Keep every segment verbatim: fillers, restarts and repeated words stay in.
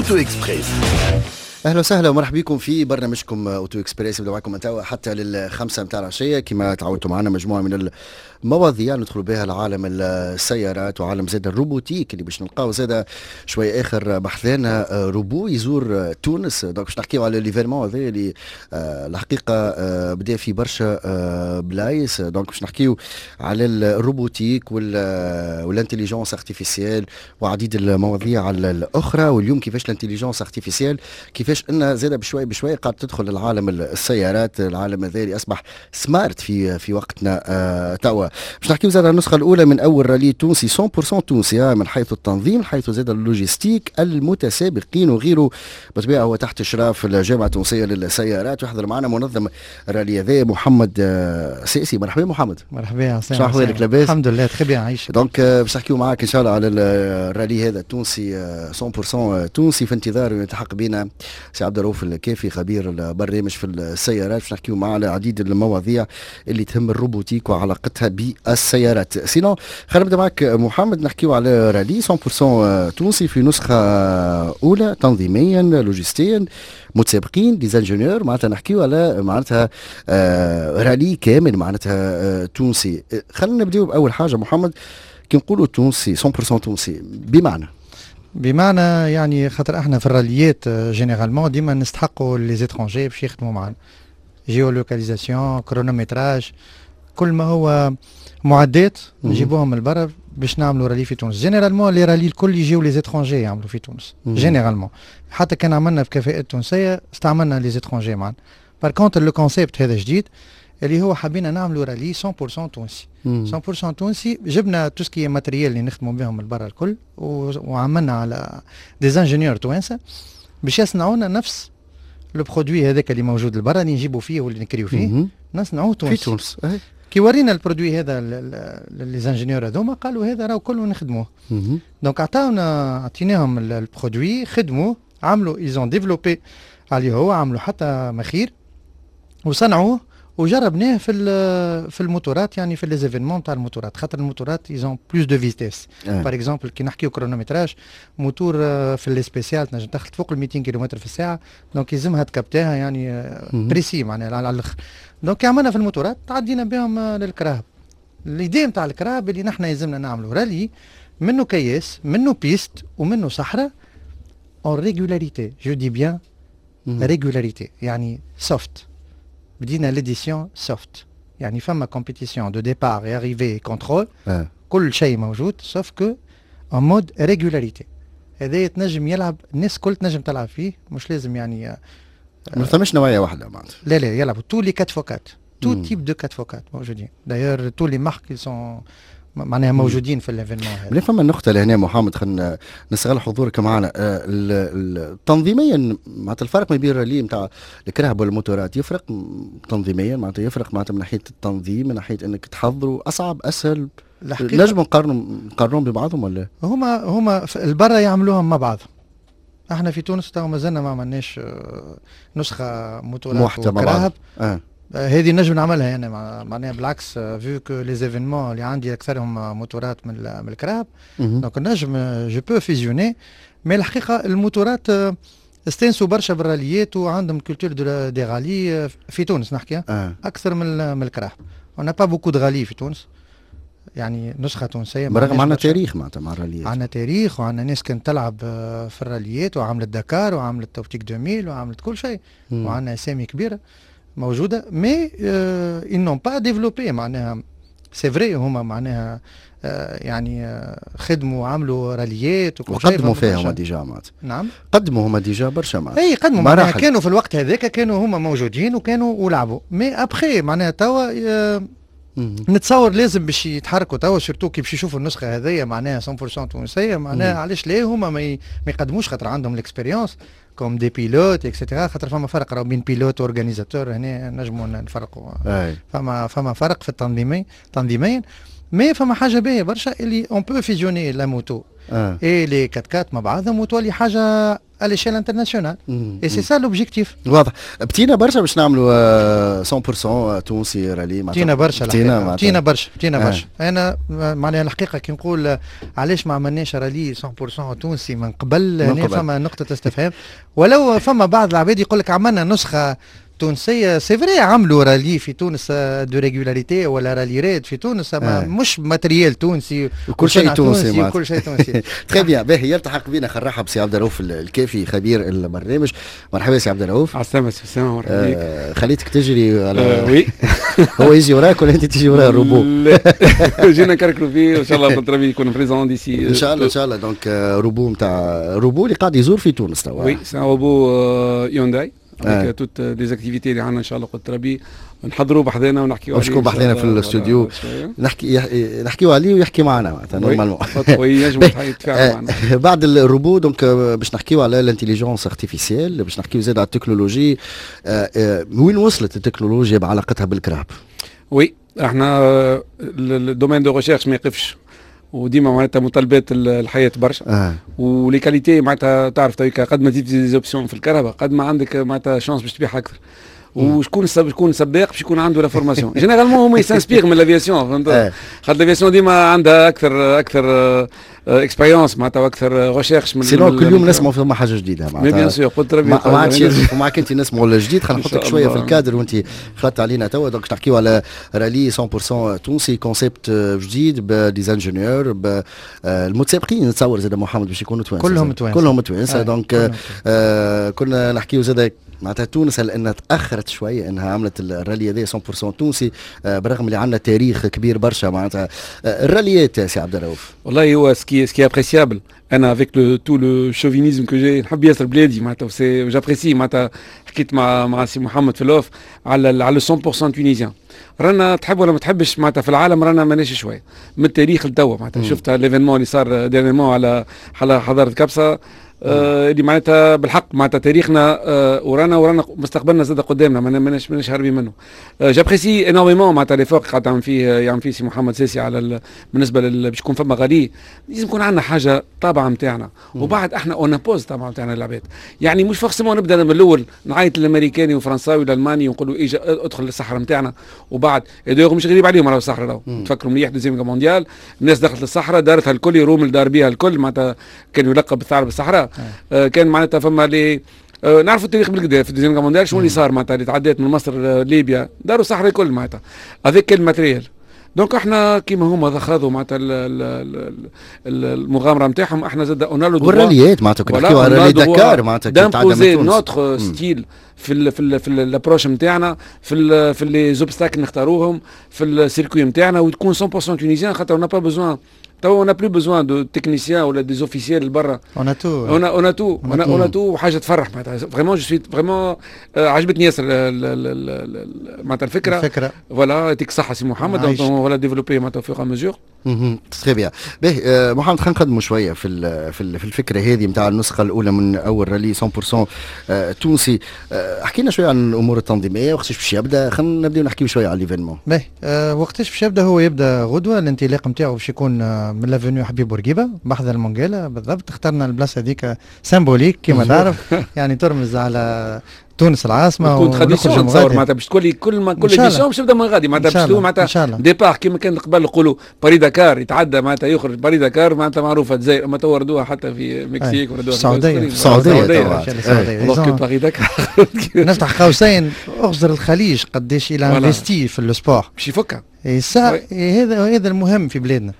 Auto Express. اهلا وسهلا ومرحبا بكم في برنامجكم Auto Express، نبدا معكم توا حتى للخمسة متاع العشيه. كما تعودتوا معنا، مجموعة من المواضيع ندخلوا بها لعالم السيارات وعالم زاد ال robotique، اللي باش نلقاو زاد شوي اخر بحذانا روبو يزور تونس. donc باش نحكيو على l'événement هذا اللي آه، الحقيقة آه، بدا في برشا آه، بلايص. donc باش نحكيو على ال robotique وال intelligence artificielle وعديد المواضيع الاخرى. واليوم كيفاش l'intelligence artificielle، كيفاش ان زاد بشوي بشوي قاعد تدخل العالم السيارات، العالم هذا اللي اصبح smart في في وقتنا آه توا. باش نحكيو زاد على النسخة الاولى من اول رالي تونسي مية في المية تونسي، من حيث التنظيم، من حيث زاد ال logistique، المتسابقين وغيره. بالطبيعة هو تحت اشراف الجامعة التونسية للسيارات، ويحضر معنا منظم الرالي هذا محمد آه، سيسي. مرحبا محمد. مرحبا يا. شنو احوالك؟ لاباس؟ الحمد لله، très bien، عايش. donc آه، باش نحكيو معاك ان شاء الله على الرالي هذا التونسي مية في المية تونسي. في انتظار يلتحق بنا سي عبد الرؤوف الكافي، خبير البرنامج في السيارات، باش نحكيو معاه على عديد المواضيع اللي تهم ال robotique وعلاقتها بالسيارات. sinon خلينا نبدا معك محمد، نحكيو على رالي مية في المية تونسي في نسخه اولى، تنظيميا، لوجستيا، متسابقين، des ingénieurs، معناتها نحكيو على معناتها آه رالي كامل معناتها آه تونسي. خلينا نبداو باول حاجة محمد، كي نقولوا تونسي، مية في المية تونسي، بمعنى؟ بمعنى يعني خاطر احنا في الراليات généralement ديما نستحقوا les étrangers باش يخدموا معنا، géolocalisation، chronométrage، كل ما هو معدات نجيبوهم من برا باش نعملوا رالي في تونس. généralement les rallyes الكل يجيو les étrangers يعملوا في تونس généralement. حتى كان عملنا بكفاءات تونسيه، استعملنا les étrangers معنا. par contre le concept هذا جديد، اللي هو حبينا نعملوا رالي مية في المية تونسي، مية في المية تونسي. جبنا tout ce qui est matériel اللي نخدموا بهم من برا الكل، وعملنا على des ingénieurs توانسة باش يصنعوا لنا نفس le produit هذاك اللي موجود لبرا، اللي نجيبوا فيه واللي نكريو فيه، نصنعوه تونسي. في تونس. كي ورينا ال produit هذا les ingénieurs هذوما، قالوا هذا راهو كله نخدموه. donc عطاونا، عطيناهم ال produit، خدموه، عملوا، ils ont développé عليه هو، عملوا حتى مخير وصنعوه وجربناه في في الموتورات، يعني في les événements تاع الموتورات، خاطر الموتورات ils ont plus de vitesse. par exemple كي نحكيو chronométrage، moteur في les spéciales تنجم تدخل فوق ال ميتين كيلومتر في الساعه، donc يلزمها تكبتاها يعني précis معناها على الاخر. donc عملنا في الموتورات، تعدينا بهم للكراهب. l'idée نتاع الكراهب اللي نحن يلزمنا نعملوا رالي منه كياس، منه piste، ومنه صحراء en régularité، je dis bien régularité، يعني soft. بدينا l'édition soft، يعني فما compétition de départ، arrivée، contrôle، كل شيء موجود، sauf que en mode régularité. هذا تنجم يلعب الناس الكل، تنجم تلعب فيه، مش لازم يعني. ما ثماش نوعية واحدة معناتها. لا لا، يلعبوا tous les quatre fois quatre، tout type de quatre fois quatre موجودين. d'ailleurs tous les marques sont معناها موجودين في l'événement هذا. فما نقطة لهنا محمد، خلينا نستغل حضورك معنا. آه، تنظيميا معناتها الفرق ما بين الرالي نتاع الكراهب والموتورات يفرق تنظيميا؟ معناتها يفرق معناتها من ناحية التنظيم، من ناحية انك تحضروا اصعب، اسهل؟ نجم نقارنوا نقارنهم ببعضهم ولا؟ هما هما البرا يعملوهم مع بعض. احنا في تونس تو مازلنا ما عملناش آه، نسخه موتورات وكراهب. آه. هذه نجم نعملها انا معناها، بالعكس، vu que les événements اللي عندي اكثرهم موتورات من من الكراهب، donc نجم je peux fusionner. mais الحقيقة الموتورات استانسوا برشا بالراليات وعندهم culture des rallyes في تونس نحكي آه. اكثر من من الكراهب. on n'a pas beaucoup de rallyes في تونس، يعني نسخه تونسيه. برغم عندنا تاريخ معناتها مع الراليات. عندنا تاريخ وعندنا ناس كانت تلعب آه، في الراليات وعملت دكار وعملت توبتيك ألفين وعملت كل شيء، وعندنا اسامي كبيرة موجوده، mais ils n'ont pas développé. معناها c'est vrai هما معناها آه، يعني آه، خدموا وعملوا راليات وكل شيء. وقدموا فيها هما déjà معناتها. نعم. قدموا هما déjà برشا معناتها. اي قدموا، معناها كانوا في الوقت هذاك كانوا هما موجودين وكانوا ولعبوا، mais après معناها توا آه، نتصور لازم باش يتحركوا توا، surtout كي باش يشوفوا النسخة هذيا معناها مية في المية تونسيه، معناها علاش لا هما ما يقدموش؟ خاطر عندهم l'expérience comme des pilotes et cetera. خاطر فما فرق راهو بين pilote و organisateur، هنا نجموا نفرقوا. فما فما فرق في التنظيمي تنظيميا. mais فما حاجة باهيه برشا اللي on peut fusionner la moto et les quatre-quatre مع بعضهم وتولي حاجة à l'échelle internationale et c'est ça l'objectif. واضح. بطينا برشا باش نعملوا مية في المية تونسي رالي؟ بطينا برشا، بطينا برشا، بطينا برشا. انا معناها الحقيقة كي نقول علاش ما عملناش رالي مية في المية تونسي من قبل، هنا فما نقطة استفهام. ولو فما بعض العباد يقول لك عملنا نسخه تونسيه، c'est vrai، عملوا رالي في تونس de régularité ولا rallye raid في تونس، اما آه. مش matériel تونسي. كل شيء تونسي. كل شيء تونسي. très bien. باهي، يلتحق بنا، خلينا نرحب سي عبد الرؤوف الكافي خبير البرنامج. مرحبا سي عبد الرؤوف. عسلامة سي اسامه، مرحبا بك. آه خليتك تجري على آه oui. هو يجي وراك ولا انت تجي ورا الروبو؟ جينا نكركروا فيه، وان شاء الله قلت يكون présent d'ici. ان شاء الله، ان شاء الله. donc robot نتاع روبو اللي قاعد يزور في تونس توا. oui، c'est robot Hyundai avec toutes les activités اللي عندنا. ان شاء الله قلت ربي نحضروا بحذانا ونحكيوا عليه. شكون بحذانا في الاستوديو، نحكي نحكيو عليه ويحكي معنا معناتها normalement. ينجم يتفاعل معنا بعد ال robot. donc باش نحكيو على l'intelligence artificielle، باش نحكيو زاد على التكنولوجي، وين وصلت التكنولوجيا بعلاقتها بالكراهب. oui، احنا ال domaine de recherche ما يقفش، وديما معناتها متطلبات الحياة برشا آه. و les qualités معناتها تعرف قد ما تزيد des options في الكرهبة قد ما عندك معناتها chance باش تبيع اكثر. وشكون شكون سباق باش يكون عنده la formation؟ généralement هما ils s'inspirent من l'aviation، فهمت؟ خاطر l'aviation ديما عندها اكثر اكثر expérience معناتها واكثر recherche. من sinon كل يوم نسمعوا فما حاجة جديدة. معناتها bien sûr، قلت ربي ما عادش ومعك انت نسمعوا الجديد. خلينا نحطك شوية في الكادر وانت خلطت علينا توا. donc نحكيو على رالي مية في المية تونسي، concept جديد ب des ingénieurs، المتسابقين نتصور زاد محمد باش يكونوا توانسه. كلهم توانسه. كلهم توانسه. donc آه كنا نحكيو زاد معناتها تونس هل انها تاخرت شوية انها عملت الرالي هذا مية في المية تونسي، آه، برغم اللي عندنا تاريخ كبير برشا معناتها آه، الراليات يا سي عبد الرؤوف؟ والله هو ce qui ce qui est appréciable، انا avec le tout le chauvinisme que j'ai، نحب ياسر بلادي معناتها، c'est j'apprécie معناتها. حكيت مع مع سي محمد في l'off على على مية في المية tunisien. رانا تحب ولا ما تحبش معناتها في العالم رانا ماناش شوية من التاريخ لتوا. معناتها شفت l'événement اللي صار dernièrement على على حضارة قفصه، آه اللي معناتها بالحق معناتها تاريخنا آه ورانا ورانا مستقبلنا زاد قدامنا، ماناش ماناش هاربين منه. آه j'apprécie énormément معناتها l'effort قاعد يعمل فيه يعمل فيه سي محمد ساسي على بالنسبة باش يكون فما غالي، لازم يكون عندنا حاجة طابعه نتاعنا، وبعد احنا on impose طابعه نتاعنا للعباد. يعني مش forcément نبدا من الاول نعيط للامريكاني والفرنساوي والالماني ونقول له اجا ادخل للصحراء نتاعنا. وبعد مش غريب عليهم راهو الصحراء، راهو تفكروا مليح deuxième guerre mondiale، الناس دخلت للصحراء دارتها الكل، رومل دار بها الكل، معناتها كان يلقب بالثعلب الصحراء. آه كان معناتها فما les آه نعرفوا التاريخ بالقدا في ال deuxième guerre mondiale شنو اللي صار، معناتها اللي تعديت من مصر آه ليبيا داروا الصحراء الكل معناتها avec quel matériel. donc احنا كيما هما خاضوا معناتها المغامرة نتاعهم، احنا زاد on a le والراليات معناتها كنا نحكيو على رالي دكار معناتها d'imposer notre style في ال في ال في l'approche نتاعنا، في ال في les obstacles نختاروهم في ال circuit نتاعنا، وتكون مية في المية tunisien، خاطر on n'a pas besoin تو on n'a plus besoin de techniciens ولا des officiels برا. on a tout. on a on a tout، on a tout. وحاجه تفرح معناتها، vraiment je suis vraiment عجبتني ياسر معناتها الفكره. الفكره. voilà، يعطيك الصحة سي محمد، donc on va développer معناتها au fur et à mesure. très bien. باهي محمد، خلينا نقدموا شوية في في الفكرة هذه نتاع النسخة الاولى من اول رالي مية في المية تونسي. حكينا شوية عن الامور التنظيميه، وقتاش باش يبدا؟ خلينا نبداو نحكيو شوية على l'événement. باهي، أه وقتاش باش يبدا؟ هو يبدا غدوه. الانطلاق نتاعو باش يكون من l'avenue حبيب بورقيبة بحذا المونجيلا بالضبط. اخترنا البلاصة هذيك symbolique كما تعرف، يعني ترمز على تونس العاصمه. تكون tradition نتصور معناتها باش تولي كل ما كل édition باش تبدا من غادي، معناتها باش معناتها départ كيما كان قبل نقولوا باري داكار، يتعدى معناتها يخرج باري داكار، معناتها معروفة الجزائر، اما تو وردوها حتى في مكسيك وردوها في السعوديه. في السعوديه. السعوديه باري داكار. نفتح قوسين، اغزر الخليج قداش il investit في ال sport. باش يفكها. هذا هذا المهم في بلادنا،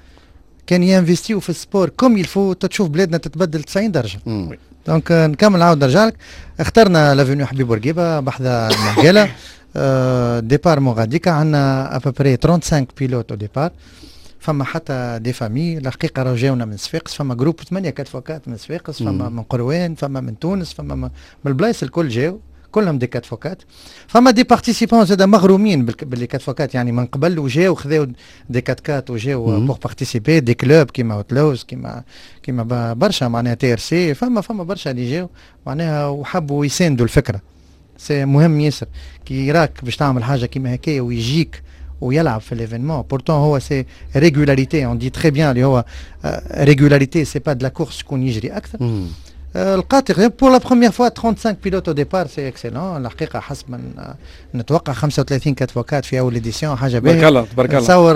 كان ينفستيو في ال sport comme il faut تشوف بلادنا تتبدل تسعين درجه. donc نكمل عاود نرجع لك. اخترنا l'avenue حبيب بورقيبة بحذا المنقالة، آه départ من غاديكا. عندنا à peu près trente-cinq pilotes au départ. فما حتى des familles الحقيقة راهو جاونا من صفاقس، فما groupe ثمانية quatre fois quatre من صفاقس، فما من قروان، فما من تونس، فما من البلايص الكل جاو، كلهم des quatre fois quatre. فما des participants زاد مغرومين بال les quatre fois quatre، يعني من قبل وجاو خذاو des quatre-quatre وجاو pour participer، des clubs كيما اوتلوز، كيما كيما برشا معناها TRC، فما فما برشا اللي جاو معناها وحبوا يساندوا الفكره. c'est مهم ياسر كي يراك باش تعمل حاجة كيما هكايا ويجيك ويلعب في l'événement. pourtant هو c'est régularité، on dit très bien اللي هو régularité، c'est pas de la course، شكون يجري اكثر. لقات pour la première fois trente-cinq pilotes au départ، c'est excellent الحقيقه. حسب ما نتوقع خمسة وثلاثين quatre fois quatre في اول édition، حاجة باهيه. تبارك الله، تبارك الله. نتصور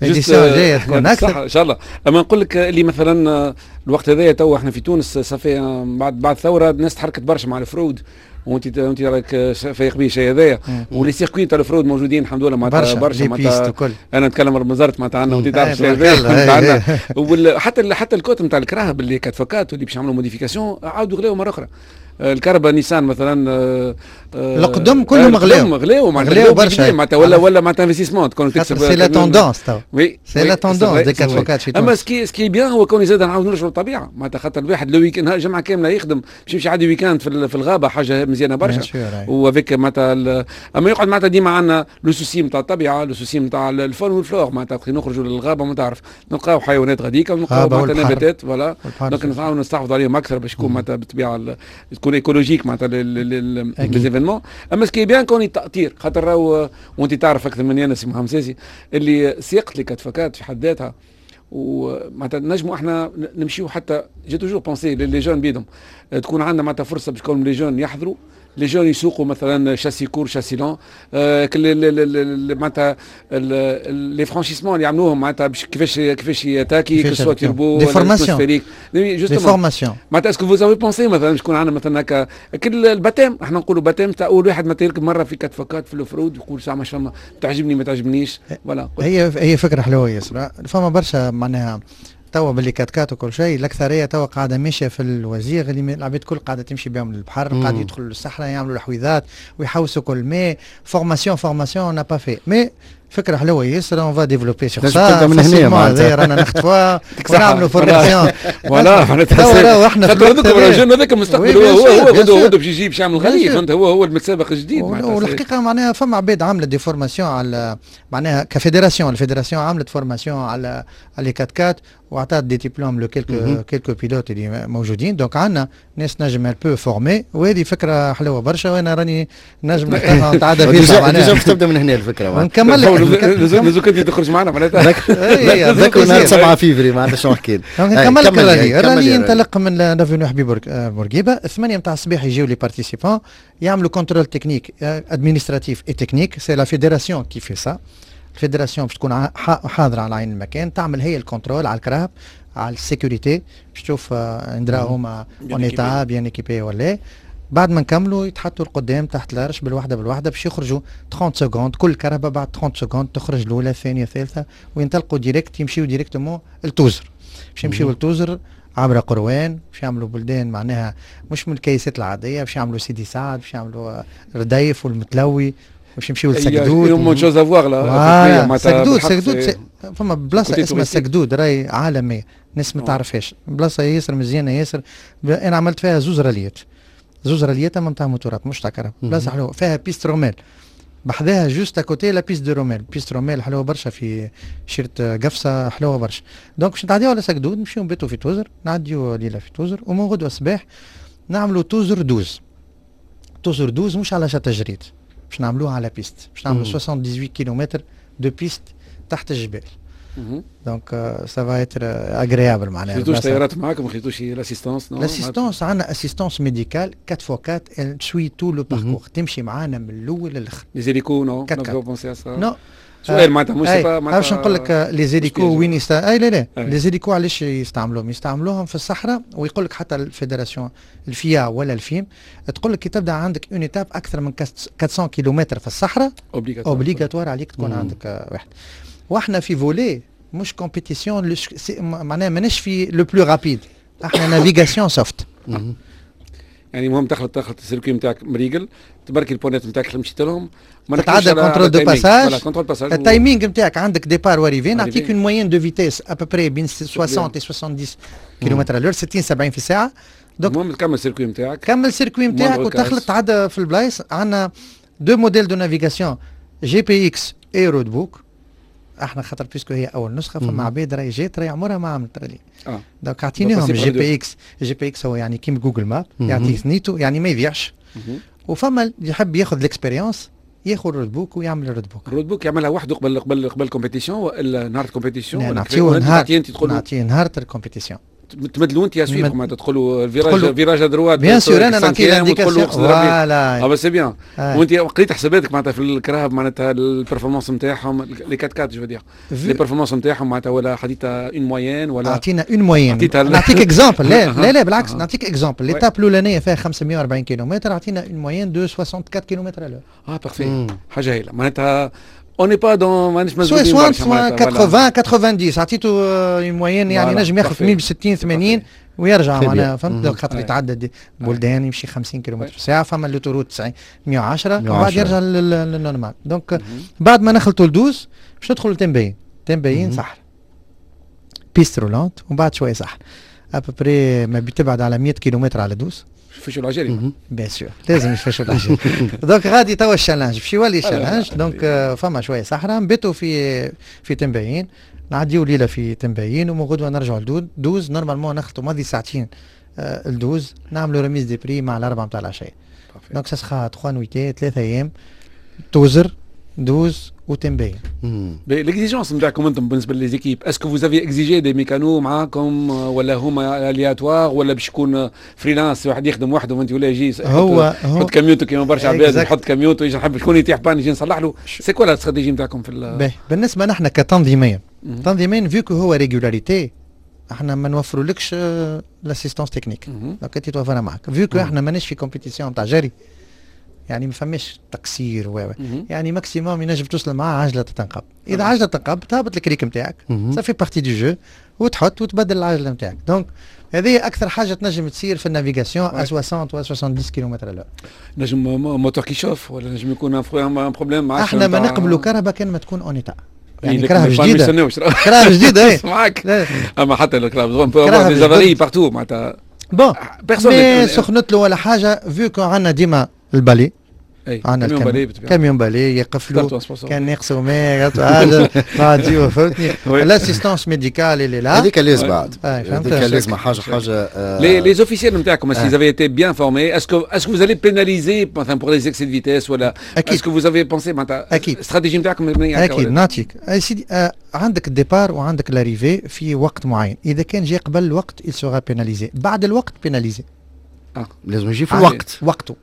édition جاية تكون اكثر. ان شاء الله. اما نقول لك اللي مثلا الوقت هذايا تو احنا في تونس ça fait بعد بعد ثورة الناس تحركت برشا مع ال off-road، وانت انت راك فايق به الشيء هذايا، و les circuits تاع ال off-road موجودين الحمد لله معناتها برشا برشا معناتها. انا نتكلم بنزرت معناتها عندنا، وانت تعرف الشيء هذايا عندنا، حتى حتى ال cote نتاع الكراهب اللي quatre fois quatre واللي باش يعملوا modification عاودوا غلاو مرة اخرى. الكرهبة نيسان مثلا. آه، القدم كلهم غلاو. غلاو غلاو برشا معناتها، ولا ولا معناتها investissement تكون تكسب. c'est la tendance تو. oui، c'est la tendance des quatre fois quatre في اما ce qui ce qui est bien هو كون زاد نعاود نرجعوا للطبيعه، معناتها خاطر الواحد le week-end جمعه كاملة يخدم باش يمشي يعدي week-end في الغابه، حاجة مزيانه برشا. و avec معناتها اما يقعد معناتها ديما عندنا le souci نتاع الطبيعه، le souci نتاع ال faune وال flore، معناتها نخرجوا للغابه ما تعرف نلقاو حيوانات غاديكا ونلقاو معناتها نباتات، voilà، donc نحاولوا نستحفظوا عليهم اكثر باش يكون معناتها بالطبيعة تكون écologique معناتها les événements. اما ce qui est bien كون التاطير، خاطر راهو وانت تعرف اكثر مني انا سي محمد ساسي اللي سياقه les quatre fois quatre في حد ذاتها، ومعناتها نجموا احنا نمشيو حتى j'ai toujours pensé les jeunes بيدهم تكون عندنا معناتها فرصة باش كون les jeunes يحضروا، les jeunes يسوقوا مثلا châssis court، châssis long، معناتها les franchissements اللي يعملوهم معناتها باش كيفاش كيفاش يتاكي que ce soit turbo. des formations، des formations. معناتها est-ce que vous avez pensé مثلا باش يكون عندنا مثلا هكا كل ال baptême، احنا نقولوا baptême تاع اول واحد مثلا يركب مرة في quatre fois quatre في ال off-road، يقول ساعة ما تعجبني ما تعجبنيش، voilà. هي هي فكرة حلوة ياسر. فما برشا معناها توا باللي quatre quatre وكل شيء، الاكثرية توا قاعدة ماشية في الوزير اللي العباد الكل قاعدة تمشي بهم للبحر، قاعد يدخلوا للصحراء يعملوا الحويضات ويحوسوا كل. mais formation formation on n'a pas fait، mais فكرة حلوة ياسر، on va développer sur ça. من هنا معناتها رانا نخطفوها ونعملوا formation. voilà، معناتها احنا خاطر هذوك ال jeunes هذاك المستقبل، هو هو هو غدوه غدوه باش يجي باش يعمل غالي، فهمت؟ هو هو المتسابق الجديد. والحقيقة معناها فما عباد عملت des formations على معناها ك fédération، ال fédération عملت formation على على quatre quatre وعطات des diplômes ل quelques quelques pilotes اللي موجودين. donc عندنا ناس نجم peut former، وهذه فكرة حلوة برشا، وانا راني نجم نتعدى فيها. déjà تبدا من هنا الفكره. نكمل لك، لازم انت تخرج معنا معناتها. ذكر نهار سبعة فيفري معناتها شنو حكينا. نكمل لك ال rallye. ال rallye ينطلق من l'avenue حبيب بورقيبه، ثمانية نتاع الصباح يجيو les participants يعملوا contrôle technique، administratif et technique. c'est la fédération qui fait ça. ال fédération باش تكون حاضره على عين المكان، تعمل هي ال contrôle على الكراهب، على ال sécurité، باش تشوف اندرا هما en état، bien équipés ولا. بعد ما نكملوا يتحطوا القدام تحت l'arche بالوحدة بالوحده، باش يخرجوا ثلاثين secondes كل كرهبه. بعد ثلاثين secondes تخرج الاولى، الثانيه، الثالثه، وينطلقوا direct، يمشيو directement لتوزر. باش يمشيو لتوزر عبر قروان، باش يعملوا بلدان معناها مش من الكيسات العاديه، باش يعملوا سيدي سعد، باش يعملوا رديف والمتلوي، باش يمشيو لسكدود. énormément de choses à voir là. سكدود، سكدود فما بلاصة اسمها سكدود راهي عالميه، الناس ما تعرفهاش، بلاصة ياسر مزيانه ياسر. انا عملت فيها زوز راليات، زوز راليات اما نتاع موتورات مش تاع كرهب. بلاصة حلوه، فيها piste رمال بحذاها، juste à côté la piste de رمال. piste رمال حلوة برشا في شيرة قفصه، حلوة برشا. donc باش نتعديو على سكدود، نمشيو نباتو في توزر، نعديو ليلة في توزر، ومن غدوه الصباح نعملوا توزر douze. توزر douze مش على شط جريد، باش نعملوها على piste، باش نعملوا ثمانية وسبعين كيلومتر de piste تحت الجبال. donc ça va être agréable معناها. خذيتوش طيارات معاكم؟ ما خذيتوش l'assistance؟ l'assistance، عندنا assistance médicale quatre fois quatre، suit tout le parcours، تمشي معانا من الاول للاخر. les hélicos، non؟ non. سؤال معناتها مش معناتها باش نقول لك les hélicos وين يست... اي لا لا، les hélicos علاش يستعملوهم؟ يستعملوهم في الصحراء، ويقول لك حتى ال fédération ال FIA ولا ال FIM تقول لك كي تبدا عندك une étape اكثر من أربعمية كيلومتر في الصحراء obligatoire عليك تكون عندك واحد. واحنا في volet مش compétition، معناها ماناش في le plus rapide، احنا navigation soft. يعني المهم تخلط تخلط ال circuit نتاعك مريقل، تبركي البونات نتاعك اللي مشيت لهم. تتعدى contrôle de passage، ال timing نتاعك عندك départ و arrivée، نعطيك une moyenne de vitesse à peu près بين ستين و سبعين كيلومتر à l'heure، ستين سبعين في الساعه. donc المهم تكمل ال circuit نتاعك. كمل ال circuit نتاعك وتخلط تعدى في البلايص. عندنا deux modèles de navigation، GPX et roadbook. احنا خاطر puisque هي اول نسخه، فما عباد راهي جات راهي عمرها ما عملت رالي اه donc اعطيناهم جي بي اكس. جي بي اكس هو يعني كيما Google Maps، يعطيك ثنيتو، يعني ما يضيعش. وفما اللي يحب ياخذ l'expérience ياخذ roadbook ويعمل roadbook. ال roadbook يعملها وحده قبل قبل قبل ال compétition والا نهار ال compétition؟ نعطيوه نهار، نعطيه نهار ال compétition. تمدلوا انت à suivre، معناتها تدخلوا virage virage droite؟ bien sûr، انا نعطي l'indication، voilà. اه c'est bien. وانت قريت حساباتك معناتها في الكراهب، معناتها ال performance نتاعهم، les quatre-quatre je veux dire، les performances نتاعهم معناتها، ولا حديتها une moyenne ولا؟ اعطينا une moyenne. نعطيك exemple، لا لا لا، بالعكس، نعطيك exemple، l'étape الاولانية فيها خمسمية وأربعين كيلومتر، اعطينا une moyenne de soixante-quatre kilomètres à l'heure. اه parfait، حاجة هايلة معناتها، on n'est pas dans مانيش مزبوطين. soit ثمانين تسعين، عطيته une moyenne، يعني نجم ياخذ ستين ثمانين ويرجع معناها، فهمت؟ خاطر يتعدى بلدان يمشي خمسين كيلومتر في الساعه، فما l'autoroute تسعين، مية وعشرة، وبعد يرجع لل normal. donc بعد ما نخلطوا لدوز باش ندخلوا لتنبين، تنبين صحراء، piste roulante ومن بعد شوية صحراء، à peu près ما بتبعد على مية كيلومتر على دوز. يفشوا العجالي. bien sûr، لازم يفشوا العجالي. donc غادي توا ال challenge باش يولي challenge. donc فما شوية صحراء، نبتوا في في تنبيين، نعديو ليلة في تنبيين ومن غدوه نرجعوا لدوز. normalement نخلطوا ماضي ساعتين آه، الدوز، نعملوا remise des prix مع الاربعة نتاع العشيه. donc ça sera trois nuitées، ثلاثة ايام، توزر، دوز وتنبين. l'exigence نتاعكم انتم بالنسبة les équipes، est-ce que vous avez exigé des mécanos معاكم ولا هما aléatoires ولا باش يكون freelance، واحد يخدم وحده وانت ولا يجي هو يحط كاميونتو كيما برشا عباد، يحط كاميونتو يجي نحب شكون يطيح panne يجي نصلح له؟ c'est quoi la stratégie نتاعكم في؟ بالنسبة نحن كتنظيميا، تنظيميا vu que هو régularité، احنا ما نوفرولكش l'assistance technique، donc انت توفرها معك. vu que احنا ماناش في compétition تاع جري، يعني ما فماش تقصير و يعني maximum ينجم توصل معاه عجله تنقب. اذا عجله تنقب تهبط الكريك نتاعك، ça fait partie du jeu، وتحط وتبدل العجلة نتاعك. donc هذه اكثر حاجة تنجم تصير في ال navigation à soixante و soixante-dix kilomètres à l'heure. نجم moteur qui chauffe ولا نجم يكون un problème مع احنا ما نقبلوا كرهبه كان ما تكون en état، يعني كراهب جديده، كراهب جديده. اي معاك، اما حتى الكراهب des avaries partout معناتها. bon، mais سخنت له ولا حاجه، vu que عندنا ديما ال balai، عندنا camion balai، camion balai يقف له كان ناقصه ماء حاجة نعديو، فهمتني؟ l'assistance médicale اللي لا هذيك لازم بعد، هذيك لازم حاجة حاجه. les les officiels نتاعكم، est-ce qu'ils avaient été bien formés؟ est-ce que est-ce que vous allez pénaliser مثلا pour les excès de vitesse ولا est-ce que vous avez pensé معناتها اكيد استراتيجي نتاعكم؟ اكيد. نعطيك سيدي، آه عندك ال départ وعندك l'arrivée في وقت معين، اذا كان جاء قبل الوقت il sera pénalisé، بعد الوقت pénalisé. آه. لازم يجي في الوقت. وقته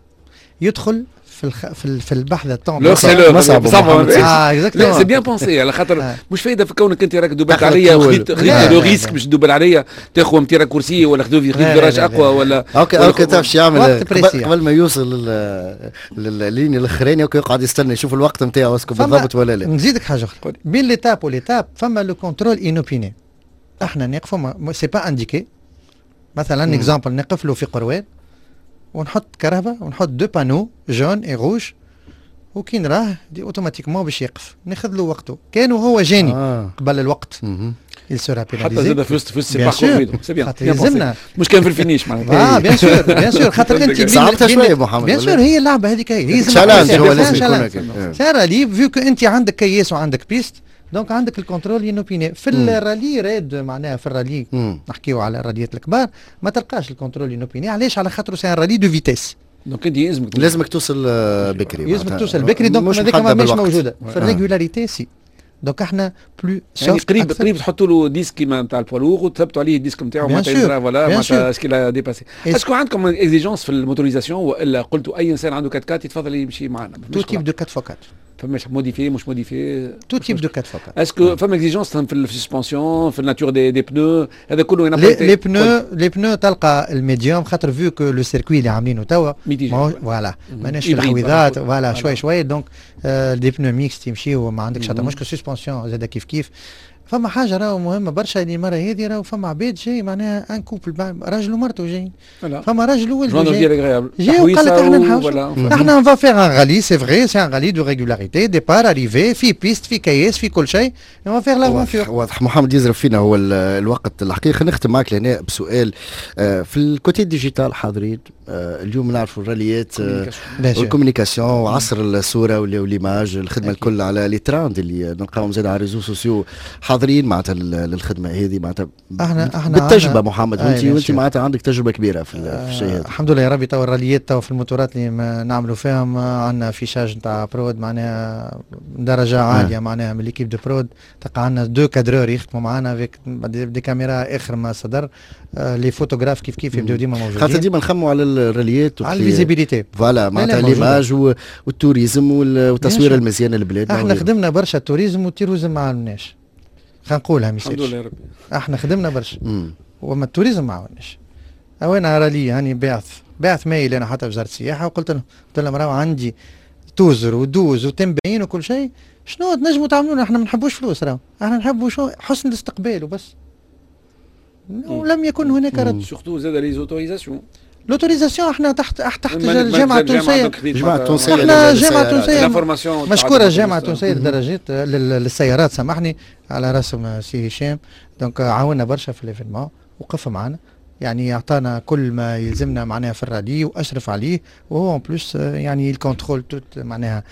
يدخل في الخ... في في البحث. الطون صعب، اه c'est bien pensé، على خاطر مش فايده في كونك انت راك دوبلت عليا وخديت خديت le risque باش تدوبل عليا، تاخذ petit raccourci ولا خديت virage اقوى ولا okay okay تعرف شو يعمل؟ قبل ما يوصل لل ligne الاخراني يقعد يستنى يشوف الوقت نتاعو est-ce que بالضبط ولا لا. نزيدك حاجة اخرى، بين l'étape و l'étape فما le contrôle inopiné، احنا نقفوا، c'est pas indiqué، مثلا exemple نقف له في قروان ونحط كرهبه ونحط deux panneaux jaune et rouge، وكي نراه دي automatiquement باش يقف، ناخذ له وقته. كانوا هو جاني آه. قبل الوقت il sera pénalisé. حتى زاد في وسط في وسط parcours، c'est bien، يلزمنا مش كان في ال finish معناتها. اه bien sûr، bien sûr، خاطر انت صعبتها شوية محمد. bien sûr، هي اللعبة هذيك هي challenge، هو لازم يكون c'est vu que انت عندك كياس وعندك piste، donc عندك ال contrôle inopiné. في ال rallye raid، معناها في الرالي نحكيو على الراليات الكبار، ما تلقاش ال contrôle inopiné. علاش؟ على خاطر c'est un rallye de vitesse. donc انت يلزمك لازمك توصل بكري. يلزمك توصل بكري، donc هذيك مش موجودة في ال régularité si. donc احنا plus يعني قريب قريب تحطوا له disque كيما نتاع ال poids lourd وتثبتوا عليه ال disque نتاعو معناتها، voilà، معناتها est-ce qu'il a dépassé. est-ce que عندكم exigence في ال motorisation والا قلتوا اي انسان عنده quatre-quatre يتفضل يمشي معنا؟ tout type de quatre fois quatre. فماش modifié مش modifié؟ tout type de quatre fois quatre. est-ce que فما exigence في ال suspension، في ال nature des des pneus، هذا كله؟ les pneus les pneus تلقى ال médium، خاطر vu que le circuit اللي عاملينه توا voilà ماناش في الحويضات، voilà، شوي شوي، donc des pneus mixtes يمشيو، ما عندكش حتى مشكل. suspension زاد كيف كيف. فما حاجة راهو مهمة برشا اللي المرة هذه راهو فما عباد جاي، معناها un couple، راجل ومرته جايين، فما راجل وولده جاي جاي وقال لك احنا نحاول احنا on va faire un rallye، c'est vrai، c'est un rallye de régularité، départ arrivée، في piste، في كياس، في كل شيء، on va faire l'aventure. واضح محمد، يزرب فينا هو الوقت الحقيقه. نختم معك لهنا بسؤال آه، في ال côté digital حاضرين؟ آه، اليوم نعرفوا الراليات آه، وال communication وعصر الصورة و l'image، الخدمة الكل على les trends اللي نلقاهم زاد على réseaux sociaux حاضرين معناتها للخدمة هذه معناتها. احنا احنا بالتجربة محمد، وانت وانت معناتها عندك تجربه كبيرة في, في الشيء هذا. الحمد لله يا ربي، تو الراليات تو في الموتورات اللي نعملوا فيهم عندنا affichage نتاع prod معناها درجه عالية، معناها من l'équipe de prod تلقى عندنا deux cadreurs يخدموا معنا avec des caméras اخر ما صدر، les photographes كيف كيف يبداو ديما موجودين. خاطر ديما نخموا على الراليات على ال visibilité. voilà، معناتها l'image وال tourisme والتصوير المزيان للبلاد. احنا خدمنا برشا tourisme وال tourisme ما عاوناش، خلينا نقولها. الحمد لله يا ربي. احنا خدمنا برشا وما ال tourisme ما عاوناش. وانا رالي هاني باعث باعث mail انا حتى وزارة السياحة وقلت لهم، قلت لهم راهو عندي توزر ودوز وتنبين وكل شيء، شنو تنجموا تعملون؟ احنا ما نحبوش فلوس، راهو احنا نحبوا شو حسن الاستقبال وبس. ولم يكن هناك رد. surtout زاد les autorisations. l'autorisation احنا تحت تحت الجامعة التونسيه. الجامعة التونسيه. احنا الجامعة التونسيه مشكوره، الجامعة التونسية للدرجات للسيارات، سامحني، على راسهم سي هشام، donc عاونا برشا في l'événement، وقف معنا، يعني اعطانا كل ما يلزمنا معناها في الرالي واشرف عليه، وهو en plus يعني ال contrôle tout معناها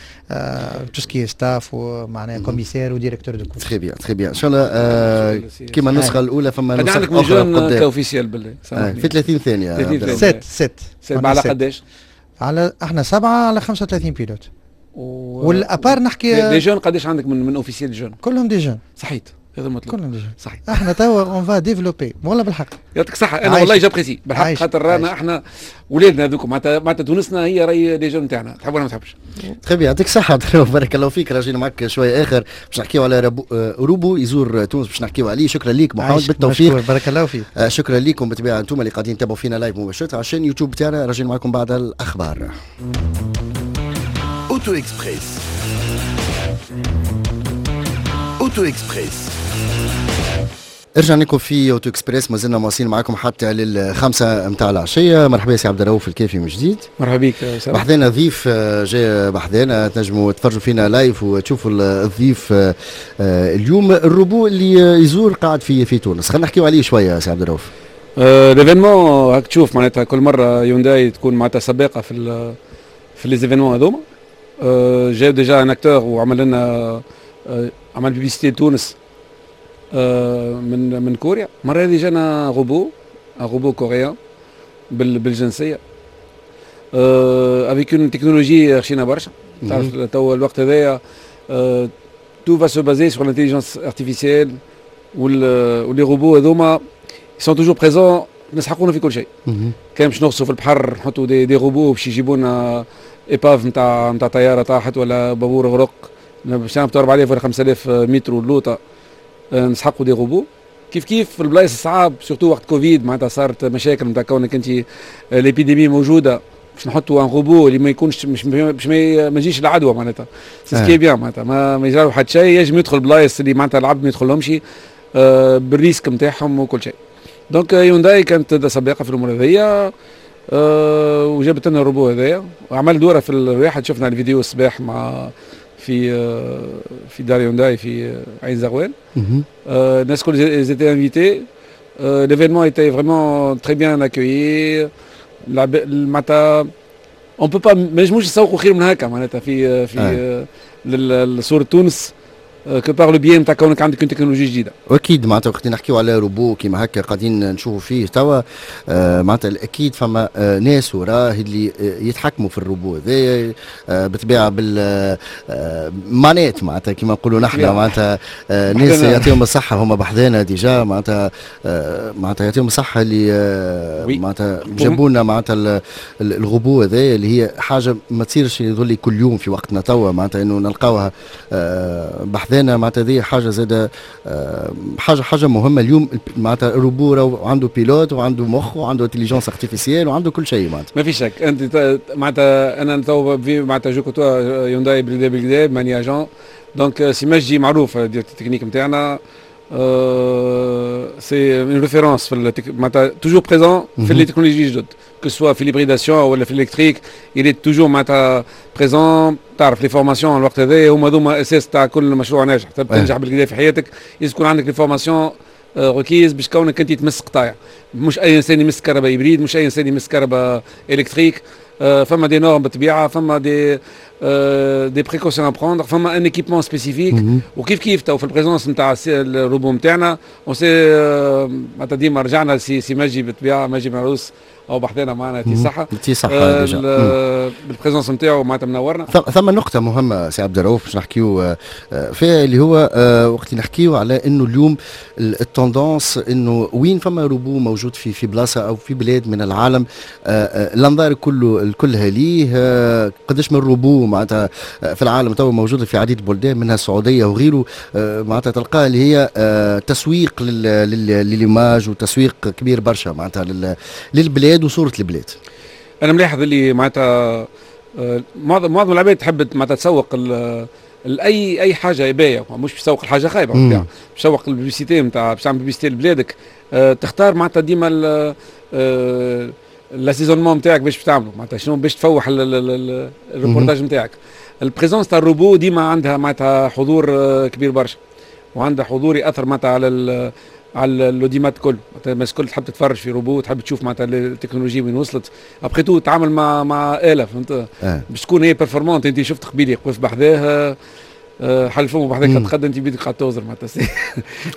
tout ce qui est staff ومعناها commissaire و directeur de course. très bien، très bien. ان شاء الله كيما النسخة الاولى فما نسخه عندك من jeunes ك officiel بالله؟ في ثلاثين ثانيه. sept sept. على قداش؟ على احنا سبعة على خمسة وثلاثين pilotes و... وال à part نحكي des jeunes، قداش عندك من من officiels jeunes؟ كلهم des jeunes. صحيت، هذا المطلوب. كلهم des jeunes. صحيح. احنا توا on va développer والله بالحق. يعطيك الصحة، انا والله j'apprécie بالحق، خاطر رانا احنا ولادنا هذوك معناتها معناتها تونسنا هي راهي les jeunes تاعنا، تحب ولا ما تحبش. très bien، يعطيك الصحة، بارك الله فيك. راجعين معك شوية آخر باش نحكيو على ربو روبو يزور تونس باش نحكيو عليه. شكرا ليك محمد، بالتوفيق. بارك الله فيك. آه، شكرا لكم بالطبيعة انتم اللي قاعدين تتابعوا فينا live مباشرة على chaîne YouTube تاعنا. راجعين معكم بعد الأخبار. Auto Express. Auto Express. رجعنا لكم في Auto Express، ما زلنا مواصلين معكم حتى للخمسة متاع العشية. مرحبا سي عبد الرؤوف الكافي من جديد. مرحبا بك. بحذانا ضيف آه، جاي بحذانا، تنجموا تفرجوا فينا live وتشوفوا الضيف آه، آه، اليوم الروبو اللي يزور قاعد في في تونس، خلينا نحكيو عليه شوية سي عبد الرؤوف. l'événement هاك تشوف معناتها كل مرة يونداي تكون معناتها سباقة في في les événements هذوما. جاو déjà un acteur وعمل لنا عمل publicité تونس من من كوريا. المرة هذه جانا robot، robot coréen بالجنسيه avec une technologie خشينا برشا. تعرف تو الوقت هذايا tout va se baser sur l'intelligence artificielle و les robots هذوما sont toujours présents، نسحقونا في كل شيء. كان باش نغطسوا في البحر نحطوا des, des robots باش يجيبوا لنا épave نتاع نتاع طيارة طاحت ولا بابور غرق، باش نهبطوا أربعة آلاف ولا خمسة آلاف متر اللوطه نسحقوا des robots. كيف كيف في البلايص الصعاب، surtout وقت كوفيد معناتها صارت مشاكل نتاع كونك انت l'épidémie موجوده، باش نحطوا un robot اللي ما يكونش مش باش ما يجيش العدوى معناتها، c'est ce qui est bien، معناتها ما, ما يجرى حتى شيء، ينجم يدخل بلايص اللي معناتها العبد ما يدخلهمش آه بال risque نتاعهم وكل شيء. donc يونداي كانت سباقه في الامور هذيا أه وجابت لنا الروبو هذايا وعمل دوره في الواحد. شفنا الفيديو الصباح مع في آه، في دار يونداي في عين زغوان. الناس الكل étaient invités، l'événement était vraiment très bien accueilli. معناتها on peut pas، ما نجموش نسوقوا خير من هكا معناتها في في لصورة تونس que par le biais نتاع كونك عندك تكنولوجيا جديده. واكيد معناتها وقت نحكيو على روبو كيما هكا قاعدين نشوفوا فيه توا، آه معناتها اكيد فما آه ناس وراه اللي آه يتحكموا في الروبو هذايا، آه بالطبيعة بال manette معناتها كيما نقولوا نحن، معناتها آه ناس يعطيهم الصحه، هما بحذانا déjà، معناتها آه معناتها يعطيهم الصحة اللي آه معناتها جابوا لنا معناتها الروبو هذايا، اللي هي حاجة ما تصيرش يظل كل يوم في وقتنا توا، معناتها انه نلقاوها آه بحذانا. معناتها هذه حاجة زاده آه، حاجه حاجه مهمة اليوم. معناتها الروبو عنده pilote وعنده مخ وعنده intelligence artificielle وعنده كل شيء معناتها. ما في شك، انت معناتها انا تو معناتها je côtoie يونداي بالكدا بالكدا ماني agent، donc سي مجدي معروف directeur technique نتاعنا، c'est une référence في معناتها toujours présent في les technologies جدد، que ce soit في l'hybridation ولا في l'électrique، il est toujours معناتها présent. تعرف les formations الوقت هذا هما هذوما اساس تاع كل مشروع ناجح. تنجح بالكدا في حياتك لازم يكون عندك les formations. requises باش كونك انت تمس قطايع. مش اي انسان يمس كرهبة hybride، مش اي انسان يمس كرهبة électrique. فما des normes بالطبيعه، فما des des précautions à prendre، فما un équipement spécifique. وكيف كيف تو في ال présence نتاع الروبو نتاعنا on sait معناتها ديما رجعنا سي سي مجي بالطبيعه، مجي معروس او بحذانا معنا تي صحة تي صحة déjà بال présence نتاعو معناتها منورنا. ثم نقطة مهمة سي عبد الرؤوف باش نحكيو فيها، اللي هو وقت نحكيو على انه اليوم ال tendance انه وين فما روبو موجود في في بلاصة او في بلاد من العالم، الانظار كله الكلها ليه. قداش من روبو معناتها في العالم تو موجودة في عديد البلدان منها السعودية وغيره، معناتها تلقاه اللي هي تسويق لل image وتسويق كبير برشا معناتها للبلاد وصوره البلاد. انا ملاحظ اللي معناتها معظم معظم العباد تحب معناتها تسوق اي اي حاجة باهيه، مش باش تسوق الحاجة خايبه، باش تسوق ال publicité نتاع باش تعمل publicité لبلادك، أه تختار معناتها ديما l'assaisonnement نتاعك باش تعمله، معناتها شنو باش تفوح الريبورتاج نتاعك. ال présence تاع الروبو ديما عندها معناتها حضور كبير برشا، وعندها حضور ياثر معناتها على على l'audimat كل. معناتها الناس الكل تحب تتفرج في روبو، تحب تشوف معناتها التكنولوجيا وين وصلت. après tout تعامل مع مع اله، فهمت؟ آه. باش تكون هي performante. انت شفت قبيلي وقف بحذاه حل فمه بحذاك تقدم، انت بيدك قاعد توزر معناتها.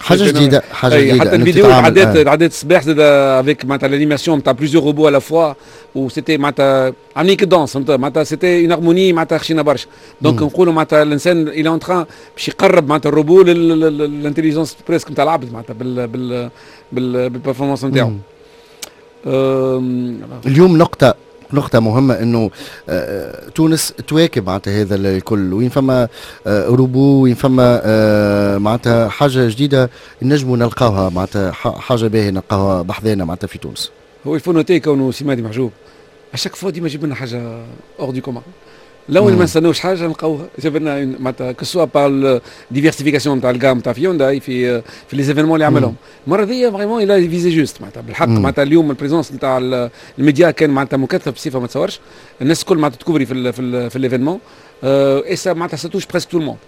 حاجة جديده، حاجة جديده. حتى الفيديو عدات عدات الصباح زاد avec معناتها l'animation نتاع plusieurs robots à la fois، و c'était معناتها عاملين كي danse، فهمت؟ معناتها c'était une harmonie معناتها خشينا برشا. donc نقولوا معناتها الانسان il est en train باش يقرب معناتها ال robot لل intelligence presque نتاع العبد معناتها بال بال بال performance نتاعو. اليوم نقطة نقطة مهمة انه آه، تونس تواكب معناتها هذا الكل، وين فما آه، روبو، وين فما آه، معناتها حاجة جديدة نجموا نلقاوها، معناتها حاجة باهية نلقاوها بحذانا معناتها في تونس. هو il faut noter كونه سي مهدي محجوب à chaque fois ديما يجيب لنا حاجة hors du commun. لو ما نستناوش حاجة نلقاوها جاب لنا، معناتها que ce soit par diversification نتاع ال gamme نتاع هيونداي في في les événements اللي عملهم المرة ذي، vraiment il a visé juste معناتها بالحق. معناتها اليوم ال présence نتاع الميديا كان معناتها مكثف بصفة ما تصورش، الناس الكل معناتها تكوفري في ال في ال في l'événement et ça معناتها ça touche presque tout le monde.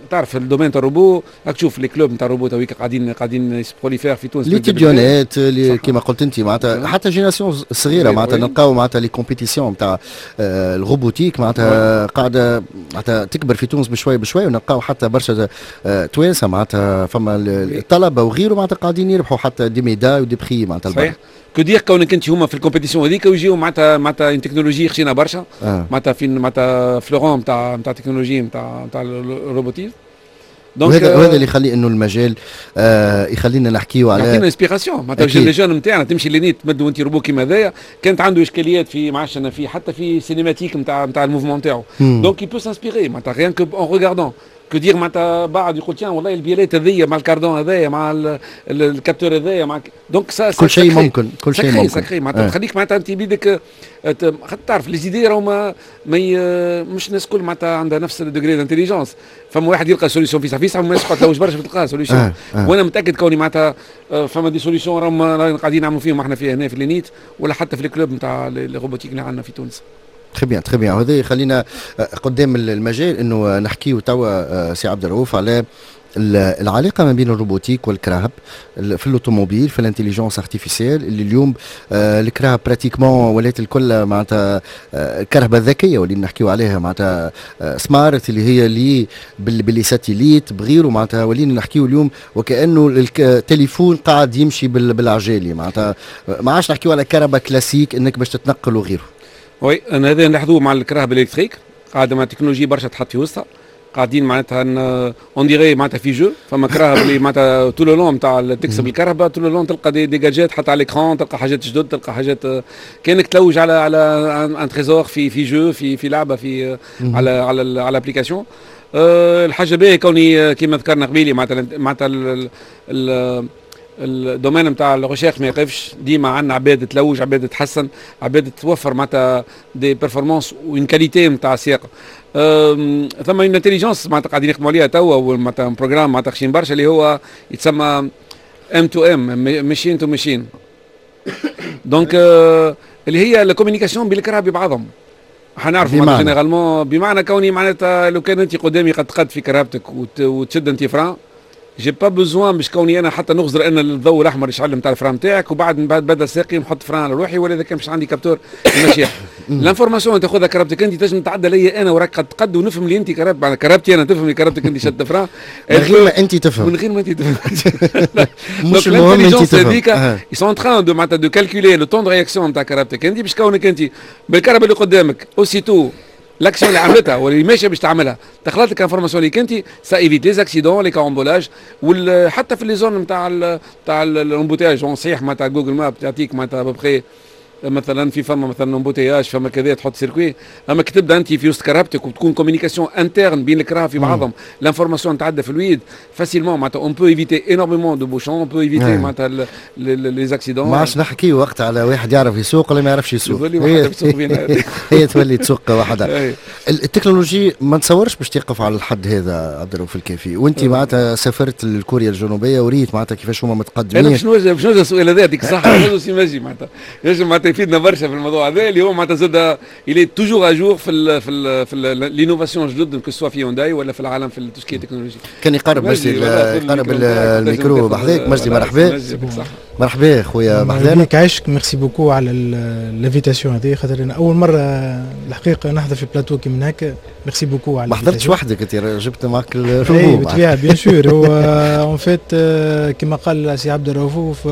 تعرف ال domaine تاع الروبو، راك تشوف les clubs نتاع الروبو تويك قاعدين قاعدين se prolifèrent في تونس. les étudiants اللي كيما قلت انت معناتها حتى génération صغيرة معناتها نلقاو معناتها les compétitions نتاع ال robotique معناتها قاعدة معناتها تكبر في تونس بشوي بشوي، ونلقاو حتى برشا توانسة معناتها فما الطلبة وغيره معناتها قاعدين يربحوا حتى des médailles و des prix معناتها. صحيح، que dire كونك انت هما في ال compétition هذيك ويجيو معناتها معناتها une technologie خشينا برشا معناتها فين معناتها fleuron نتاع نتاع تكنولوجي نتاع نتاع ال robotique. donc وهذا وهذا اللي يخلي انه المجال آه يخلينا نحكيو على يعطينا inspiration معناتها les jeunes نتاعنا تمشي l'ENIT تمدوا انت روبو كيما هذايا، كانت عنده اشكاليات في ما عادش في حتى في cinématique نتاع نتاع ال mouvement نتاعو، donc il peut s'inspirer معناتها rien que en regardant. que dire معناتها بعد يقول tiens والله ال biellette هذيا مع ال cardan هذايا مع ال capteur هذايا مع donc ça كل شيء ممكن، كل شيء ممكن. ça crée معناتها آه. تخليك معناتها انت بيدك تعرف les idées راهو ما, ما مش الناس الكل معناتها عندها نفس ال degré d'intelligence. فما واحد يلقى solution في في فما ناس تقعد تلوج برشا تلقاها solution. آه. آه. وانا متاكد كوني معناتها فما des solutions راهم قاعدين نعملوا فيهم احنا في هنا في l'ENIT ولا حتى في ال club نتاع ال robotique اللي عندنا في تونس. très bien، très bien. وهذا يخلينا قدام المجال انه نحكيو توا سي عبد الرؤوف على العلاقة ما بين ال robotique والكراهب في l'automobile، في l'intelligence artificielle، اللي اليوم آه، الكراهب pratiquement ولات الكل معناتها الكرهبه الذكية واللي نحكيو عليها معناتها smart، اللي هي اللي ب les satellites بغيره، معناتها ولينا نحكيو اليوم وكانه التليفون قاعد يمشي بالعجالي، معناتها ما عادش نحكيو على كرهبه كلاسيك انك باش تتنقل وغيره. oui، انا هذا نلاحظوه مع الكراهب électriques، قاعدة مع تكنولوجيا برشا تحط في وسطها، قاعدين معناتها on dirait معناتها في jeu. فما كراهب اللي معناتها tout le long نتاع تكسب الكرهبه tout le long تلقى des, des gadgets حتى على l'écran، تلقى حاجات جدد، تلقى حاجات كانك تلوج على على un trésor في في jeu، في في لعبه، في على على على application. أه الحاجة باهيه كوني كيما ذكرنا قبيلي معناتها معناتها ال domaine نتاع ال recherche ما يقفش، ديما عندنا عباد تلوج، عباد تحسن، عباد توفر معناتها des performances و une qualité نتاع السياقه. ثم une intelligence معناتها قاعدين يخدموا عليها توا، معناتها programme معناتها خشين برشا اللي هو يتسمى M to M، machine to machine، donc اللي هي la communication بين الكراهب ببعضهم. حنعرفوا généralement بمعنى كوني معناتها لو كان انت قدامي قد قد في كرهبتك وتشد انت frein j'ai pas besoin باش كوني انا حتى نغزر ان الضوء الاحمر يشعل نتاع ال frein نتاعك، وبعد بعد بدل ساقي نحط frein على روحي، ولا اذا كان مش عندي capteur المشيح. l'information تاخذها كرهبتك انت تنجم تعدى لي انا وراك قد قد ونفهم اللي انت كرهب كرهبتي انا، تفهم اللي كرهبتك انت شد frein من غير ما انت تفهم، من غير ما انت تفهم. مش المهم انت تفهم. ils sont en train de معناتها de calculer le temps de réaction نتاع كرهبتك انت، باش كونك انت بالكرهبه اللي قدامك aussitôt l'action اللي عملتها واللي ماشية باش تعملها دخلت لك information اللي كنت ça évite les accidents، les carambolages، حتى في les zones نتاع نتاع l'embouteillage. صحيح معناتها Google Maps تعطيك معناتها à peu près مثلا في فما مثلا embouteillage، فما كذا، تحط circuit. اما كي تبدا انت في وسط كرهبتك وتكون communication interne بين الكراهب في بعضهم، l'information تعدى fluide facilement، معناتها on peut éviter énormément de bouchons، on peut éviter معناتها les accidents. ما عادش نحكي وقت على واحد يعرف يسوق ولا ما يعرفش يسوق، هي, هي تولي تسوق وحدها. التكنولوجي ما نتصورش باش تقف على الحد هذا عبد الرؤوف الكافي، وانت معناتها سافرت لكوريا الجنوبية وريت معناتها كيفاش هما متقدمين. انا باش نوجه باش نوجه السؤال هذا، يعطيك الصحه، سي ماجي معناتها ينجم معناتها يفيدنا برشا في الموضوع هذا، اللي هو معناتها زاد il est toujours à jour في ال في ال في l'innovation جدد، que ce soit في هونداي ولا في العالم في tout ce qui est technologie. كان يقرب مجدي، يقرب الميكرو بحذاك مجدي. مرحبا مرحبا خويا. بحذانا عايشك، merci beaucoup على l'invitation هذه، خاطر انا اول مرة الحقيقة نحضر في بلاتو كي من هكا. merci beaucoup على ما حضرتش وحدك انت، جبت معك الروبو. بالطبيعه، bien sûr. هو en fait كما قال سي عبد الرؤوف،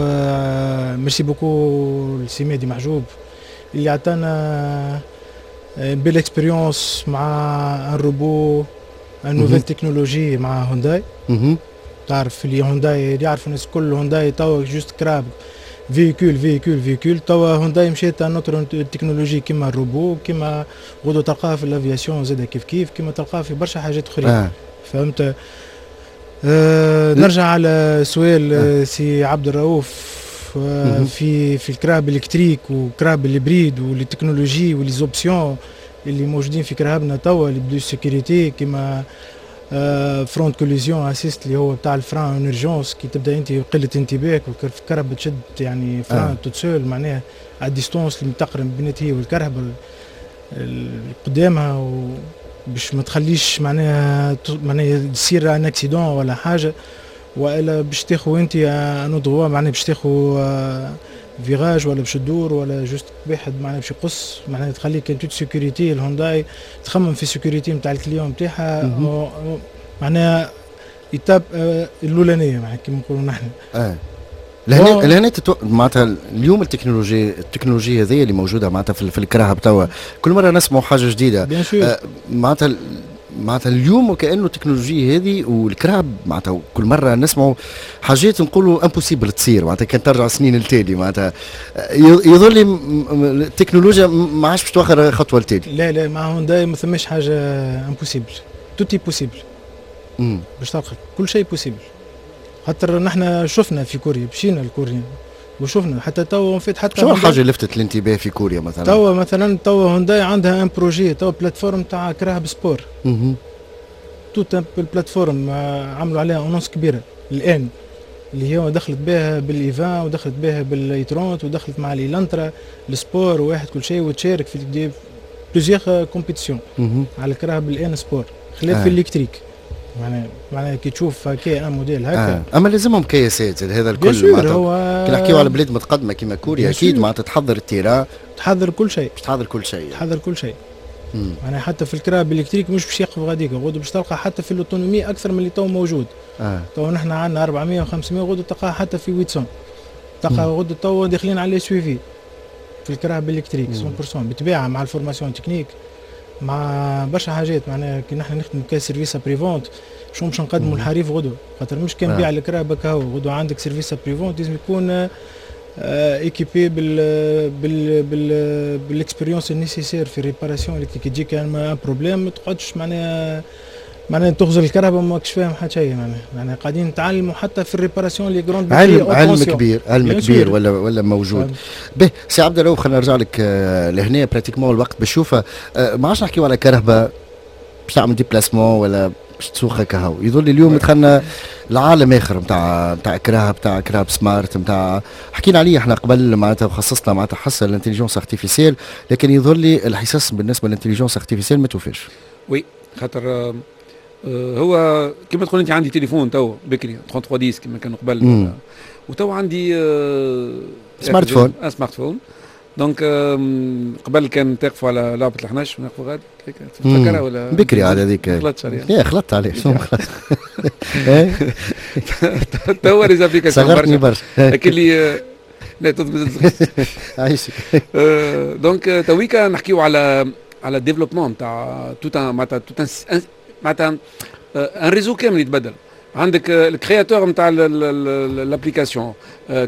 merci beaucoup لسي مهدي محجوب اللي عطانا belle expérience مع un robot، une nouvelle technologie مع هونداي. تعرف اللي هونداي، اللي يعرفوا الناس الكل هونداي توا juste كراهب، véhicule véhicule véhicule. توا هونداي مشات une autre technologie كيما الروبو، كيما غدو تلقاها في l'aviation زاد كيف كيف، كيما تلقاها في برشا حاجات اخرين. آه. فهمت. آه نرجع على سؤال آه. سي عبد الرؤوف آه في في الكراهب électriques وكراهب ال hybrides و les technologies و les options اللي موجودين في كراهبنا توا، les plus sécurité كيما front collision assist اللي هو بتاع ال frein en urgence، كي تبدا انت قلة انتباهك والكرهبه تشد يعني frein آه. toute seule، معناها à distance اللي تقرب بينات هي والكرهبه اللي قدامها، و باش ما تخليش معناها معناها تصير un accident ولا حاجه، والا باش تاخذ انت un droit، معناها باش تاخذ virage ولا باش تدور ولا juste واحد معناها باش يقص، معناها تخليك en toute sécurité. الهونداي تخمم في sécurité نتاع ال client نتاعها، معناها étape آه، الاولانية معناها كيما نقولوا نحن. اه لهنا لهنا تتو... معناتها اليوم التكنولوجيا التكنولوجيا هذه اللي موجودة معناتها في, في الكراهب توا، كل مرة نسمعوا حاجة جديده. آه معناتها معناتها اليوم وكانه التكنولوجيا هذه والكراهب، معناتها كل مرة نسمعوا حاجات نقولوا impossible تصير، معناتها كان ترجع سنين التالي، معناتها يظل لي التكنولوجيا ما عادش باش توخر خطوة التالي. لا لا، مع هونداي ما ثماش حاجة impossible، tout est possible، باش تلقى كل شيء possible، خاطر نحن شفنا في كوريا، مشينا لكوريا وشفنا حتى توا فيت حتى شو الحاجة اللي لفتت الانتباه في كوريا مثلا؟ توا مثلا توا هونداي عندها un projet توا plateforme تاع كراهب sport، toute ال plateforme عملوا عليها annonce كبيرة الان، اللي هي دخلت بها بال i vingt ودخلت بها بال i trente ودخلت مع l'Elantra ال sport وواحد كل شيء، وتشارك في des plusieurs compétitions على الكراهب ال N sport خلاف آه. في l'électrique، معناها معناها كي تشوف هكا un modèle هكا. آه. اما لازمهم كياسات هذا الكل، معناتها هو كي نحكيو على بلاد متقدمة كيما كوريا اكيد معناتها تحضر ال terrain. تحضر كل شيء. باش تحضر كل شيء. تحضر كل شيء. معناها حتى في الكراهب électriques مش باش يقف غاديك، غدو باش تلقى حتى في l'autonomie اكثر من اللي تو موجود. آه. تو نحن عندنا أربعمية وخمسمية، غدو تلقاها حتى في ثمانمية، تلقى غدو تو داخلين على SUV في الكراهب électriques مية في المية، بالطبيعة مع ال formation technique، مع برشا حاجات. معناها كي نحن نخدموا ك service après-vente، شو باش نقدموا الحريف غدوه؟ خاطر مش كان بيع الكراهب كهو، غدوه عندك service après-vente لازم يكون équipé بال بال بال بال expérience nécessaire في réparation électrique. تجيك un problème ما تقعدش معناها معناها تغزر الكرهبه ماكش فاهم حتى شيء. معناها معناها قاعدين نتعلموا حتى في ال réparation les grandes. علم علم كبير، علم كبير ولا ولا موجود. به سي عبد الرؤوف، خلينا نرجع لك آه، لهنا pratiquement الوقت باش يوفى. آه، ما عادش نحكيو على كرهبه باش تعمل déplacement ولا باش تسوق كهو. يظل اليوم دخلنا العالم اخر نتاع نتاع كراهب نتاع كراهب smart، نتاع حكينا عليه احنا قبل معناتها وخصصنا معناتها حصة l'intelligence artificielle، لكن يظل لي الحصص بالنسبة لل intelligence artificielle ما توفاش. oui، خاطر هو كما تقول انت عندي تليفون تو بكري ثلاثة وثلاثين عشرة كما كانوا قبل، وتو عندي smartphone. smartphone. donc قبل كان تقفوا على لعبه الحنش ونقفوا غادي، تفكرها ولا؟ بكري على هذيك. خلطت عليها. يا خلطت عليه، شنو خلطت؟ توا les applications. صغرتني برشا. لكن اللي لا تضبط. عايشك. donc تويكا نحكيو على على développement تاع tout معناتها tout معناتها un réseau كامل يتبدل. عندك ال créateur نتاع l'application،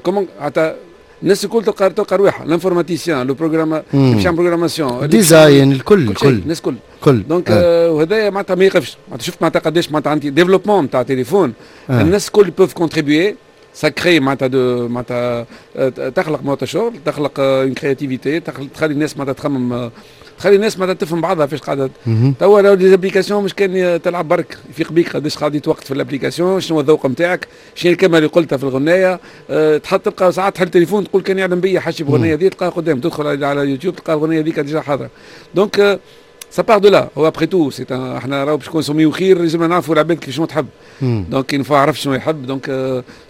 comment معناتها الناس الكل تلقى تلقى رواحها، l'informaticien، le programme باش يعمل programmation، design، الكل الكل. الناس الكل. كل. donc آه. وهذا معناتها ما يقفش. معناتها شفت معناتها قداش معناتها عندي développement نتاع تليفون آه. الناس الكل peuvent contribuer، ça crée معناتها de معناتها تخلق معناتها شغل، تخلق une créativité، تخلي الناس معناتها تخمم، تخلي الناس معناتها تفهم بعضها فاش قاعدة. توا راهو les applications مش كان تلعب برك، يفيق بيك قداش قاعد وقت في l'application، شنو الذوق نتاعك، شنو الكلمة اللي قلتها في الغنايه. أه تحط تلقى ساعات تحل تليفون تقول كان يعلم بيا حاجة بغنيه هذه، تلقاها قدام، تدخل على يوتيوب تلقى الغنية هذيك déjà حاضره. donc ça part de là. هو après tout c'est احنا راهو باش consommer خير لازم نعرفوا العباد كيف شنو تحب. donc une fois عرف شنو يحب، donc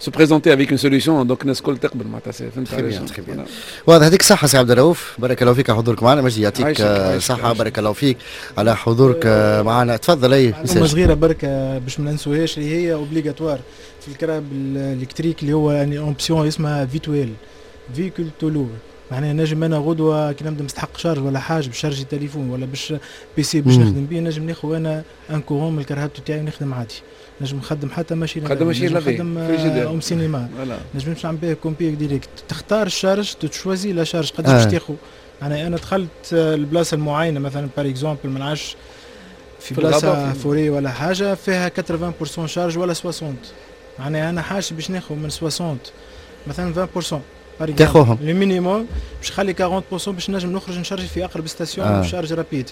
se présenter avec une solution، donc الناس الكل تقبل معناتها، فهمت علاش؟ très bien، واضح. يعطيك الصحة سي عبد الرؤوف، بارك الله فيك على حضورك معنا. مجدي، يعطيك صحة، بارك الله فيك على حضورك معنا. تفضل. اي. معلومة صغيرة بركة باش ما ننسوهاش، اللي هي obligatoire في الكراهب électriques، اللي هو يعني option اسمها V to L، véhicule to load. معناها نجم انا غدوه كي نبدا مستحق charge ولا حاجه، باش charger تليفون ولا باش P C باش نخدم بيه، نجم ناخذ انا un courant من الكرهبة تاعي ونخدم عادي. نجم نخدم حتى machine خدم machine. نخدم home cinéma، نجم نمشي نعمل به كومبي direct. تختار ال charge، tu choisis la charge قداش باش تاخذ. معناها انا دخلت البلاصة المعينه، مثلا par exemple ما نعرفش في بلاصة forêt ولا حاجة فيها ثمانين في المية charge ولا ستين، معناها انا حاجة باش ناخذ من ستين مثلا عشرين في المية. تاخوهم. le minimum باش نخلي أربعين في المية باش نجم نخرج ن charger في اقرب station آه. charge rapide.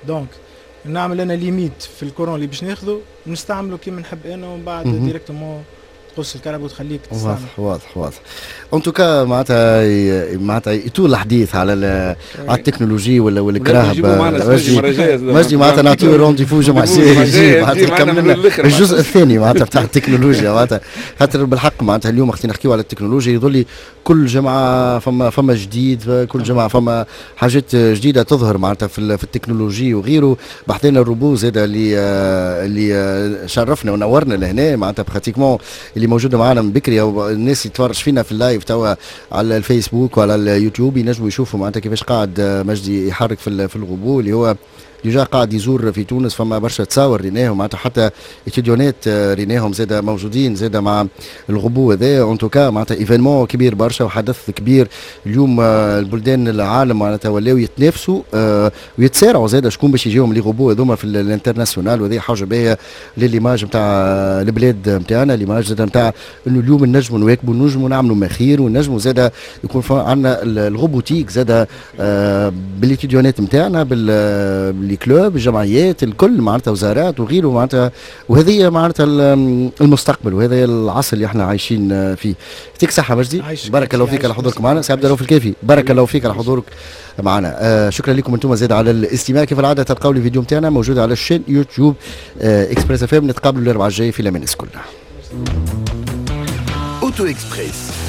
donc نعمل انا limite في ال courant اللي باش ناخذه، نستعمله كيما نحب انا، ومن بعد directement تقص الكرهبة وتخليك تستعمل. واضح واضح واضح. en tout cas معناتها معناتها يطول الحديث على على التكنولوجي ولا والكراهب. مجدي معناتها نعطيو rendez-vous جمعة الجاي، معناتها يكمل الجزء الثاني معناتها بتاع التكنولوجيا، معناتها خاطر بالحق معناتها اليوم وقت نحكيو على التكنولوجيا يظل كل جمعه فما فما جديد، كل جمعه فما حاجات جديدة تظهر معناتها في, في التكنولوجي وغيره. بحثنا الروبو زاد اللي اللي شرفنا ونورنا لهنا، معناتها pratiquement اللي موجودة معنا من بكري، او الناس اللي تفرج فينا في ال live توا على الفيسبوك وعلى اليوتيوب ينجموا يشوفوا معناتها كيفاش قاعد مجدي يحرك في في الغبو اللي هو déjà قاعد يزور في تونس. فما برشا تصاور ريناهم، معناتها حتى étudiant ات ريناهم زاد موجودين زاد مع الغبو هذا. en tout cas معناتها événement كبير برشا وحدث كبير. اليوم آه، البلدان العالم معناتها ولاو يتنافسوا آه، ويتسارعوا زاد شكون باش يجيهم les robots هذوما في l'international، وهذه حاجة باهيه ل l'image نتاع البلاد نتاعنا، l'image زاد نتاع انه اليوم نجموا نواكبوا، نجموا نعملوا ما خير، ونجموا زاد يكون عندنا ال robotique زاد آه، بال étudiant ات نتاعنا، بال les clubs، الجمعيات الكل، معناتها وزارات وغيره معناتها. وهذه معناتها المستقبل وهذا العصر اللي احنا عايشين فيه. يعطيك صحة مجدي، بارك الله فيك على حضورك معنا. سي عبد الرؤوف الكافي، بارك الله فيك على حضورك معنا. آه شكرا لكم انتم زاد على الاستماع. كيف العادة تلقاو الفيديو نتاعنا موجود على ال chaîne يوتيوب آه اكسبريس اف ام. نتقابلوا الاربعاء الجاي في الامان. كلنا Auto Express.